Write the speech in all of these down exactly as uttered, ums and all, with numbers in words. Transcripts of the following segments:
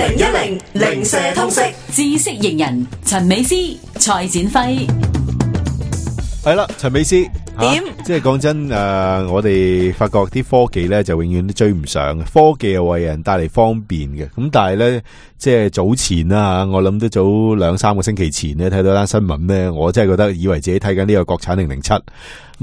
零一零零舍通識知識型人陳美詩、蔡展輝。係啦，陳美詩點？即係講真誒、呃，我哋發覺啲科技咧就永遠都追唔上嘅。科技又為人帶嚟方便嘅，咁但係咧，即係早前啦，我諗都早兩三個星期前咧睇到單新聞咧，我真係覺得以為自己睇緊呢個國產零零七，咁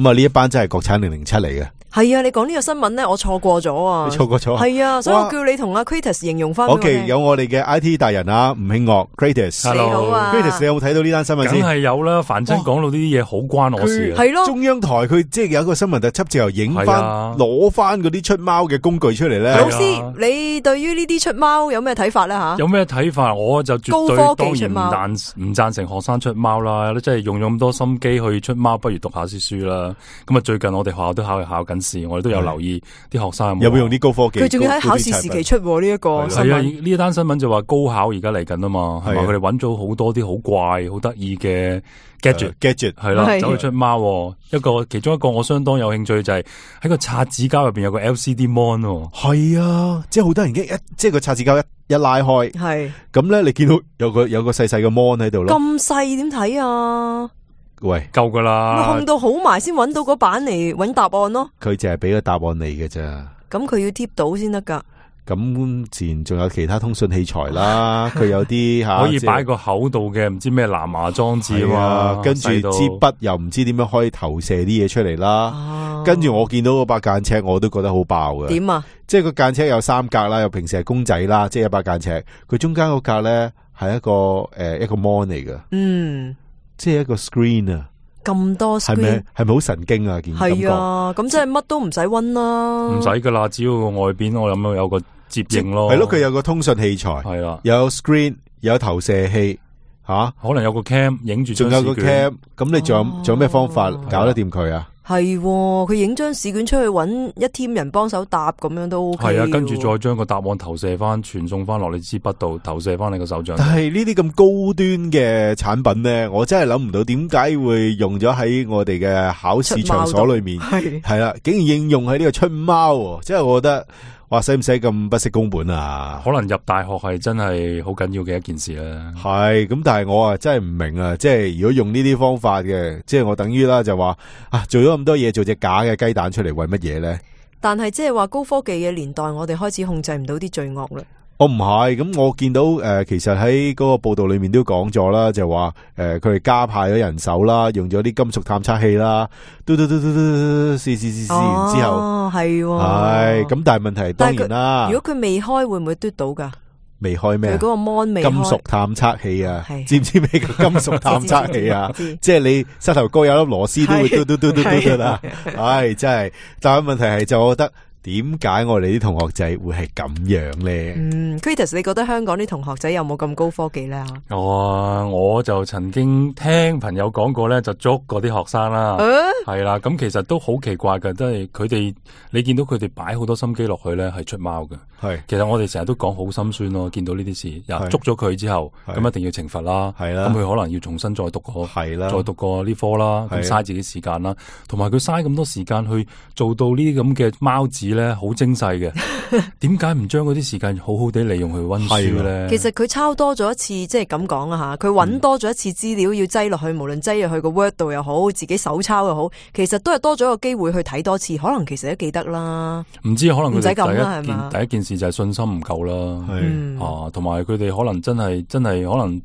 啊呢一班真係國產零零七嚟嘅。係啊，你講呢個新聞咧，我錯過咗啊！你錯過咗？係啊，所以我叫你同阿 Kratos 形容翻。OK，有我哋嘅 I T 大人啊，吳慶岳 Kratos，你好啊 Kratos，你有冇睇到呢單新聞先？梗係有啦，凡真講到呢啲嘢好關我事啊。係咯，中央台佢即係有一個新聞特輯，之後影翻攞翻嗰啲出貓嘅工具出嚟咧。老師，你對於呢啲出貓有咩睇法咧？吓，有咩睇法？我就絕對高科當然唔技出貓贊唔贊成學生出貓啦。即係用咗咁多心機去出貓，不如讀下啲書啦。咁啊，最近我哋學校都考考緊試，我哋都有留意。啲學生有冇用啲高科技？佢仲要喺考試時期出呢一個新係啊！聞。呢一單新聞就話高考而家嚟緊啊嘛，係嘛？佢哋揾咗好多啲好怪、好得意嘅 gadget，gadget 係啦，走去出貓。一個其中一個我相當有興趣就係喺個擦紙膠入邊有個 L C D mon。係啊，即係好多人一即係個擦紙膠一一拉開，係咁咧，你見到有個有個細細嘅 mon 喺度咯。咁細點睇啊？喂，夠噶啦，控到好埋先揾到嗰版嚟揾答案咯。佢淨係俾個答案你嘅咋。咁佢要貼到先得噶。咁自然仲有其他通訊器材啦，佢有啲吓可以擺個口度嘅，唔知咩藍牙裝置啊嘛，跟住支筆又唔知點樣可以投射啲嘢出嚟啦。啊、跟住我見到嗰把間尺，我都覺得好爆嘅。點啊？即係個間尺有三格啦，又平時係公仔啦，即係一把間尺，佢中間嗰格咧係一個誒、呃、一個 mon 嚟嘅。嗯。即係一個 screen 啊，咁多 screen 係咪係咪好神經啊？件感覺係啊，咁即係乜都唔使溫啦，唔使噶啦，只要個外邊我諗有個接應咯，係咯，佢有個通訊器材，係啦，有 screen，有投射器，吓、啊，可能有個 cam 影住，仲有個 cam，咁你仲有仲、哦、有咩方法搞得掂佢啊？係，佢影張試卷出去揾一 team 人幫手答，咁樣都 OK。係啊，跟住再將個答案投射翻，傳送翻落你支筆度，投射翻你個手掌。但係呢啲咁高端嘅產品咧，我真係諗唔到點解會用咗喺我哋嘅考試場所裏面。係係啦，竟然應用喺呢個出貓，即係我覺得。哇，使唔使咁不惜工本啊？可能入大學係真係好緊要嘅一件事啦。係咁，但係我啊真係唔明啊！即係如果用呢啲方法嘅，即係我等於啦就話啊，做咗咁多嘢，做隻假嘅雞蛋出嚟，為乜嘢咧？但係即係話高科技嘅年代，我哋開始控制唔到啲罪惡啦。我唔係，咁我見到誒、呃，其實喺嗰個報道裏面都講咗啦，就話誒，佢哋加派咗人手啦，用咗啲金屬探測器啦，嘟嘟嘟嘟嘟試試試試完之後，哦係，係咁，但係問題當然啦，如果佢未開，會唔會嘟到噶？未開咩？佢嗰個 mon 未開。金屬探測器啊，知唔知咩叫金屬探測器啊？即係你膝頭哥有粒螺絲都會嘟嘟嘟嘟嘟嘟啦，唉，真係。但係問題係就我覺得。點解我哋啲同學仔會係咁樣咧？嗯 Kratos 你覺得香港啲同學仔有冇咁高科技咧？哦，我就曾經聽朋友講過咧，就捉過啲學生啦，係啦、啊，咁其實都好奇怪嘅，即係佢哋你見到佢哋擺好多心機落去咧，係出貓嘅。係，其實我哋成日都講好心酸咯，見到呢啲事，捉咗佢之後，咁一定要懲罰啦，係啦，咁佢可能要重新再讀過，係啦，再讀過呢科啦，咁嘥自己時間啦，同埋佢嘥咁多時間去做到呢啲咁嘅貓紙咧，好精細嘅，點解唔將嗰啲時間好好地利用去溫書咧？其實佢抄多咗一次，即係咁講啊吓，佢搵多咗一次資料要擠落去，無論擠入去個 Word 度又好，自己手抄又好，其實都係多咗個機會去睇多次，可能其實都記得啦。唔知可能佢哋第一件係第一件事就係信心唔夠啦，係啊，同埋佢哋可能真係真係可能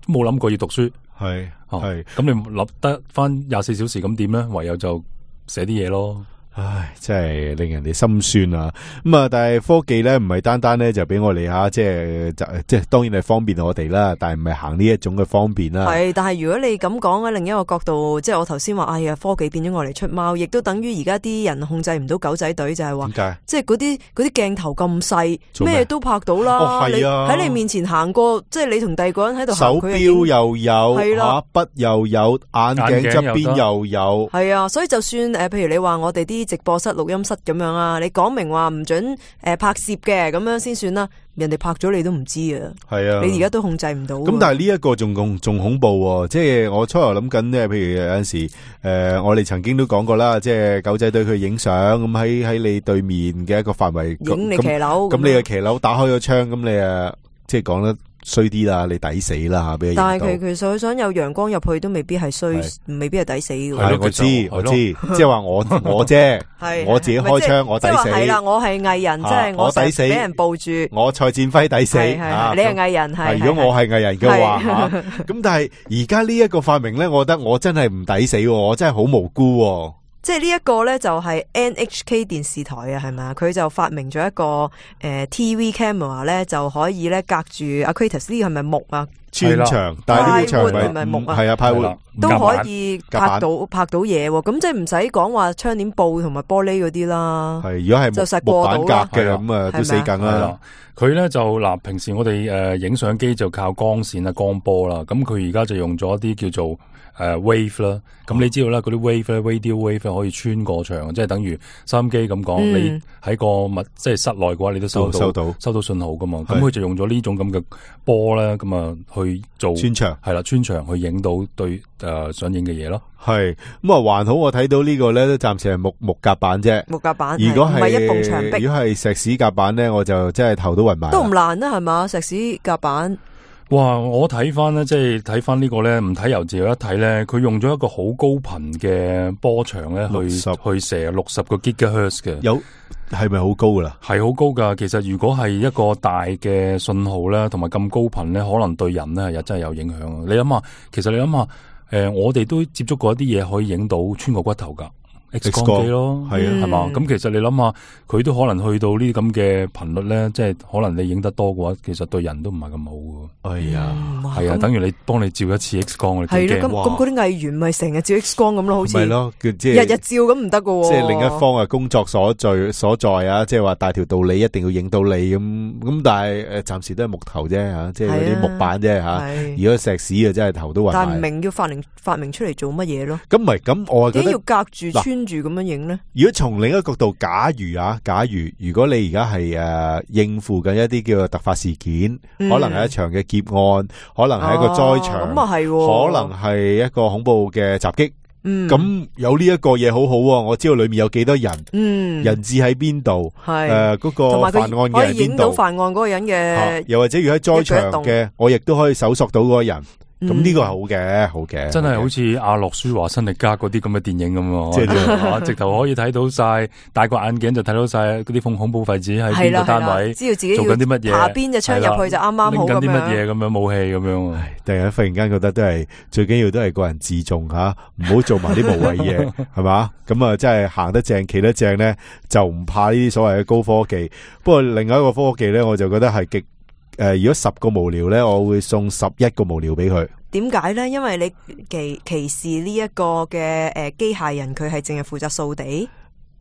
冇諗過要讀書，係係咁你諗得翻廿四小時咁點咧？唯有就寫啲嘢咯。唉，真係令人哋心酸啊！咁啊，但係科技咧唔係單單咧就俾我哋吓，即係就即係當然係方便我哋啦，但係唔係行呢一種嘅方便啦。係，但係如果你咁講喺另一個角度，即係我頭先話，哎呀，科技變咗我嚟出貓，亦都等於而家啲人控制唔到狗仔隊，就係話，點解？即係嗰啲嗰啲鏡頭咁細，咩都拍到啦。哦，係啊！喺你面前行過，即係你同第二個人喺度行，手錶又有，係啦，筆又有，眼鏡側邊又有，係啊！所以就算誒，譬如你話我哋啲直播室、錄音室咁樣啊，你講明話唔准誒拍攝嘅，咁樣先算啦。人哋拍咗你都唔知啊，係啊，你而家都控制唔到。咁但係呢一個仲恐仲恐怖喎，即係我初頭諗緊咧，譬如有陣時誒、呃，我哋曾經都講過啦，即係狗仔隊佢影相，咁喺喺你對面嘅一個範圍影你騎樓，咁你嘅騎樓打開咗窗，咁你誒即係講得衰啲啦，你抵死啦吓，俾佢。但係佢其實佢想有陽光入去，都未必係衰，未必係抵死嘅。係我知我知，即係話我我啫，我自己開槍我抵死。係啦，我係藝人，即係我抵死，俾人抱住。我蔡展輝抵死，你係藝人係。如果我係藝人嘅話吓，咁但係而家呢一個發明咧，我覺得我真係唔抵死，我真係好無辜。即係呢一個咧，就係 N H K 電視台啊，係咪啊？佢就發明咗一個誒、呃、T V camera 咧，就可以咧隔住阿 Kratos 呢個係咪木啊？穿牆，但係呢個牆係咪木啊？係啊，派活都可以拍到拍到嘢喎。咁即係唔使講話窗簾布同埋玻璃嗰啲啦。係，如果係木板隔嘅咁啊，都死梗啦。佢咧就嗱，平時我哋誒影相機就靠光線啊、光波啦。咁佢而家就用咗一啲叫做誒 wave 啦，咁、嗯、你知道啦，嗰啲 wave 咧 radio wave 可以穿過牆，即係等於收音機咁講，嗯、你喺個密即係室內嘅話，你都收到收到收到信號噶嘛。咁佢就用咗呢種咁嘅波咧，咁啊去做穿牆，係啦，穿牆去影到對誒、呃、想影嘅嘢咯。係咁啊，還好我睇到呢個咧都暫時係木木夾板啫，木夾板。如果係唔係一埲牆壁，如果係石屎夾板咧，我就真係頭都暈埋。都唔難啦，係嘛？石屎夾板。哇！我睇翻咧，即係睇翻呢個咧，唔睇由自由一睇咧，佢用咗一個好高頻嘅波長咧，去去射六十個 gigahertz 嘅。有係咪好高噶啦？係好高噶。其實如果係一個大嘅信號咧，同埋咁高頻咧，可能對人咧又真係有影響。你諗下，其實你諗下，誒、呃，我哋都接觸過一啲嘢可以影到穿過骨頭噶。X 光機咯，係啊，係嘛？咁其實你諗下，佢都可能去到呢啲咁嘅頻率咧，即係可能你影得多嘅話，其實對人都唔係咁好嘅。哎呀，係啊，等於你幫你照一次 X 光，你幾驚？係咯，咁咁嗰啲藝員咪成日照 X 光咁咯，好似係咯，即係日日照咁唔得嘅。即係另一方嘅工作所在所在啊，即係話大條道理一定要影到你咁咁，但係誒暫時都係木頭啫吓，即係嗰啲木板啫吓。如果石屎啊，真係頭都暈埋。但係唔明要發明發明出嚟做乜嘢咯？咁唔係咁，我係覺得點要隔住穿住咁樣影咧？如果從另一個角度，假如啊，假如如果你而家係誒應付緊一啲叫做突發事件，嗯、可能係一場嘅劫案，可能係一個災場，咁啊係，可能係一個恐怖嘅襲擊。嗯，咁有呢一個嘢好好，我知道裏面有幾多人，嗯，人質喺邊度，係誒嗰個犯案嘅喺邊度，可以影到犯案嗰個人嘅、啊，又或者如果喺災場嘅，我亦都可以搜索到嗰個人。咁呢個係好嘅，好嘅，真係好似阿諾舒華辛力加嗰啲咁嘅電影咁，即係直頭可以睇到晒，戴個眼鏡就睇到晒嗰啲恐恐怖分子喺邊個單位，知道自己做緊啲乜嘢，下邊隻槍入去就啱啱好咁樣，拎緊啲乜嘢咁樣武器咁樣。突然間忽然間覺得都係最緊要都係個人自重吓，唔好做埋啲無謂嘢，係嘛？咁啊，真係行得正，企得正咧，就唔怕呢啲所謂嘅高科技。不過另外一個科技咧，我就覺得係極。誒、呃，如果十個無聊咧，我會送十一個無聊俾佢。點解咧？因為你歧歧視呢一個嘅誒機械人，佢係淨係負責掃地。誒、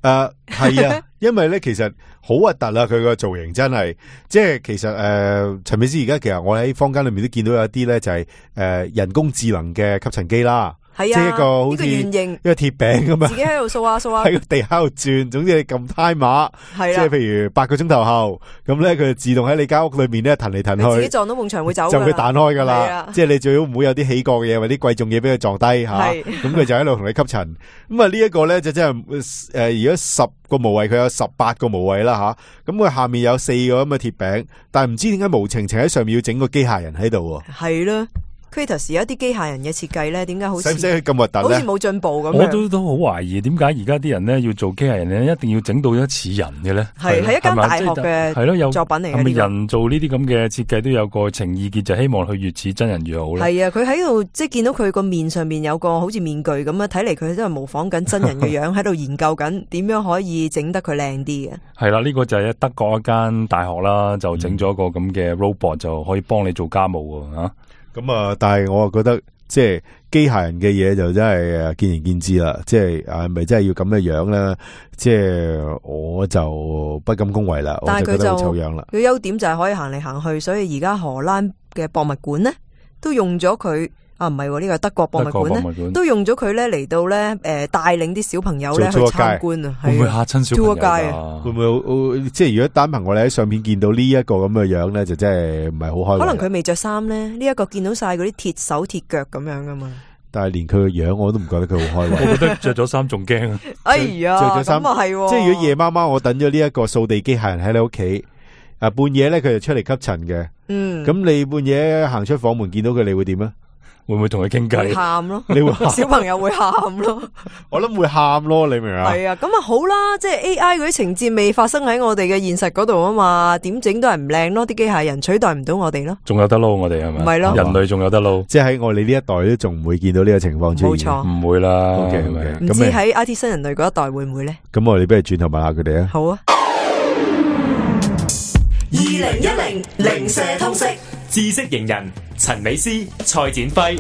呃，係啊，因為咧其實好核突啦，佢個造型真係，即係其實誒，陳美詩而家其實我喺坊間裏面都見到有一啲咧就係、是、誒、呃、人工智能嘅吸塵機啦。係啊，即係一個好似圓形一個鐵餅咁樣，自己喺度掃下掃下，喺個地下度轉。總之你撳胎碼，係即係譬如八個鐘頭後，咁咧佢就自動喺你間屋裏面咧彈嚟彈去，自己撞到埲牆會走，就會彈開噶啦。即係你最好唔好有啲起角嘅嘢或者啲貴重嘢俾佢撞低吓。咁佢就喺度同你吸塵。咁啊呢一個咧就真係誒，如果十個無謂，佢有十八個無謂啦吓。咁佢下面有四個咁嘅鐵餅，但係唔知點解無情情喺上面要整個機械人喺度。係啦。Kratos 有一啲機械人嘅設計咧，點解好似使唔使咁核突咧？好似冇進步咁。我都都好懷疑，點解而家啲人咧要做機械人咧，一定要整到一似人嘅咧？係係一間大學嘅係咯，有作品嚟嘅。係咪人做呢啲咁嘅設計都有個情意結，就希望佢越似真人越好咧？係啊，佢喺度即係見到佢個面上面有個好似面具咁啊，睇嚟佢都係模仿緊真人嘅樣，喺度研究緊點樣可以整得佢靚啲嘅。係啦，呢個就係德國一間大學啦，就整咗個咁嘅 robot，就可以幫你做家務啊。咁啊，但係我啊覺得即係機械人嘅嘢就真係誒見仁見智啦，即係係咪真係要咁嘅樣咧？即係我就不敢恭維啦，我就覺得好醜樣啦。佢優點就係可以行嚟行去，所以而家荷蘭嘅博物館咧都用咗佢。啊，唔係喎，呢個係德國博物館咧，都用咗佢咧嚟到咧，誒帶領啲小朋友咧去參觀啊，會唔會嚇親小朋友啊？會唔會即係如果單憑我哋喺相片見到呢一個咁嘅樣咧，就真係唔係好開心。可能佢未着衫咧，呢一個見到晒嗰啲鐵手鐵腳咁樣噶嘛。但係連佢個樣我都唔覺得佢好開心。我覺得着咗衫仲驚啊！哎呀，着咗衫咁啊係，即係如果夜媽媽我等咗呢一個掃地機械人喺你屋企。啊，半夜咧佢就出嚟吸塵嘅。嗯，咁你半夜行出房門見到佢，你會點啊？會唔會同佢傾偈？喊咯，你會喊小朋友會喊咯，我諗會喊咯，你明唔明啊？係啊，咁啊好啦，即係 A I 嗰啲情節未發生喺我哋嘅現實嗰度啊嘛，點整都係唔靚咯，啲機械人取代唔到我哋咯，仲有得撈我哋係咪？唔係咯，人類仲有得撈，即係喺我哋呢一代都仲唔會見到呢個情況出現，冇錯，唔會啦。OK OK，唔知喺 I T 新人類嗰一代會唔會咧？咁我哋不如轉頭問下佢哋啊。好啊。二零一零零舍通識知識型人陳美詩、蔡展輝。